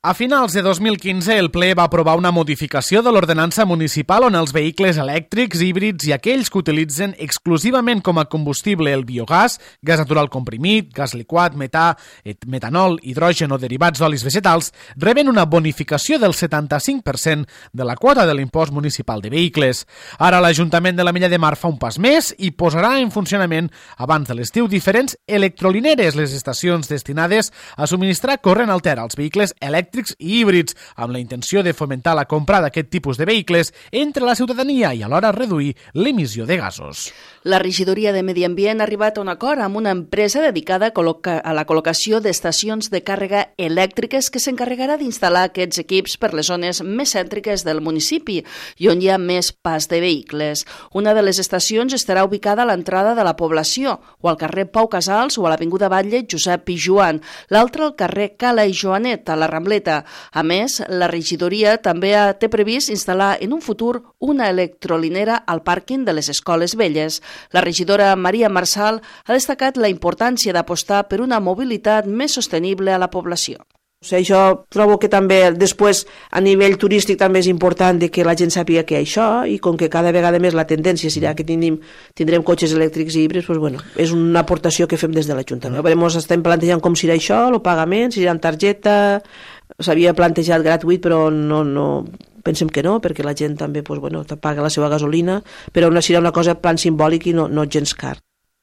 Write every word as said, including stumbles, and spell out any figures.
A finals de dos mil quinze, el ple va aprovar una modificació de l'ordenança municipal on els vehicles elèctrics, híbrids i aquells que utilitzen exclusivament com a combustible el biogàs, gas natural comprimit, gas liquat, metà, metanol, hidrogen o derivats d'olis vegetals, reben una bonificació del setanta-cinc per cent de la quota de l'impost municipal de vehicles. Ara l'Ajuntament de l'Ametlla de Mar fa un pas més i posarà en funcionament abans de l'estiu diferents electrolineres, les estacions destinades a subministrar corrent alter als vehicles elèctrics i híbrids, amb la intenció de fomentar la compra d'aquest tipus de vehicles entre la ciutadania i alhora reduir l'emissió de gasos. La regidoria de Medi Ambient ha arribat a un acord amb una empresa dedicada a la col·locació d'estacions de càrrega elèctriques que s'encarregarà d'instal·lar aquests equips per les zones més cèntriques del municipi i on hi ha més pas de vehicles. Una de les estacions estarà ubicada a l'entrada de la població, o al carrer Pau Casals o a l'avinguda Batlle Josep Pijuan, l'altra al carrer Cala i Joanet, a la Rambleta. A més, la regidoria també té previst instal·lar en un futur una electrolinera al pàrquing de les escoles velles. La regidora Maria Marçal ha destacat la importància d'apostar per una mobilitat més sostenible a la població. O sigui, jo trobo que també després a nivell turístic també és important de que la gent sàpiga que hi ha això i com que cada vegada més la tendència serà que tindrem, tindrem cotxes elèctrics i híbrids, doncs, bueno, és una aportació que fem des de l'Ajuntament. Ens estem plantejant com serà això, el pagament, si serà en targeta, s'havia plantejat gratuït però no, no, pensem que no, perquè la gent també doncs, bueno, paga la seva gasolina, però serà una cosa plan simbòlic i no, no gens car.